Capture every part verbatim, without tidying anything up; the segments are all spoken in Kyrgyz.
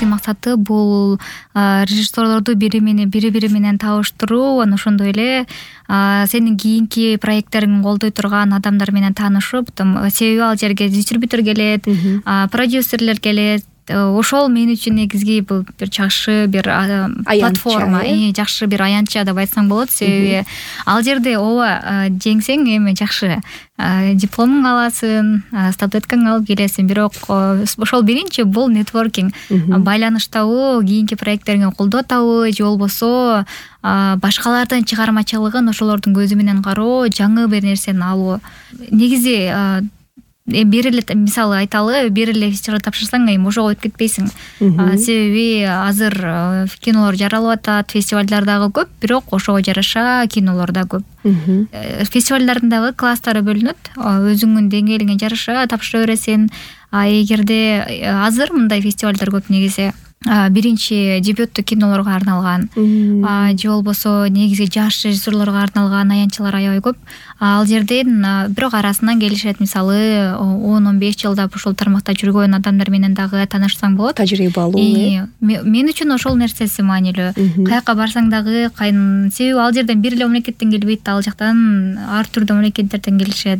негизги максаты бул режиссерлорду бири менен бири бири менен табыштыруу, анан ошондой эле сенин кийинки проекттериңди колдой турган адамдар менен таанышып, себеби ал жерге дистрибьютор келет, продюсерлер келет. Ошол мен үчүн негизги бул бир жакшы бир платформа, жакшы бир аянтча деп айтсаң болот. Себеби ал жерде ооба жеңсең эми жакшы дипломуң аласың, статуэткаңды алып келесиң, бирок ошол биринчи бул нетворкинг, байланыштабы, кийинки проекттериңе колдоо табуу же болбосо башкалардын чыгармачылыгын ошолордун көзү менен кароо, жаңы бир нерсени алуу. Негизи бир эле мисалы айталы, бир эле фестиваль тапшырсаң эми ошого өтүп кетпейсиң. Себеби азыр кинолор жаралып атат, фестивалдар дагы көп, бирок ошого жараша кинолор да көп. Фестивалдардын дагы класстары бөлүнөт. Өзүңдүн деңгээлиңе жараша тапшыра бересиң. Эгерде азыр мындай фестивалдар көп негизи биринчи дебютту кинолорго арналган, же болбосо негизи жаш режиссерлорго арналган аянтчалар аябай көп. Ал жерден бирок арасынан келишет, мисалы он он беш жылдап ушул тармакта жүргөн адамдар менен дагы таанышсаң болот. Тажрыйбалуу. Мен үчүн ошол нерсеси маанилүү. Каяка барсаң дагы кайын, себеби ал жерден бир эле мамлекеттен келбейт, ал жактан ар түрдүү мамлекеттерден келишет.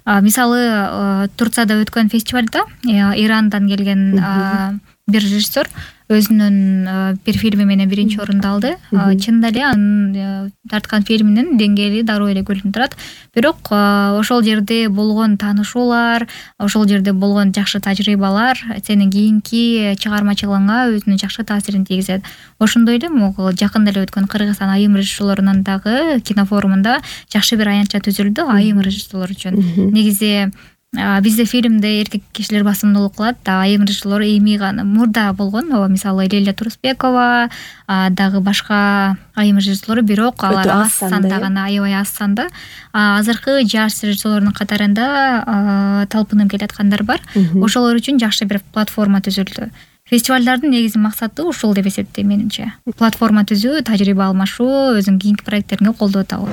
Мисалы Турцияда өткөн фестивалда Ирандан келген бир режиссер өзүнүн бир фильми менен биринчи орунду алды. Чынында эле анын тарткан фильминин деңгээли дароо эле көрүнүп турат. Бирок ошол жерде болгон таанышуулар, ошол жерде болгон жакшы тажрыйбалар сенин кийинки чыгармачылыгыңа өзүнүн жакшы таасирин тийгизет. Ошондой эле могул жакында эле өткөн Кыргызстан айым режиссерлорунун дагы кинофорумунда жакшы бир аянтча түзүлдү айым режиссерлор үчүн. Негизи бизде фильмде эркек кишилер басымдуулук кылат, айым режиссерлор эми гана мурда болгон, мисалы Лилия Турусбекова, дагы башка айым режиссерлор, бирок алар аз санда гана, аябай аз санда. Азыркы жаш режиссерлордун катарында талпынып келаткандар бар. Ошолор үчүн жакшы бир платформа түзүлдү. Фестивалдардын негизи максаты ушул деп эсептейм менимче. Платформа түзүү, тажрыйба алмашуу, өзүңдүн кийинки проекттериңе колдоо табуу.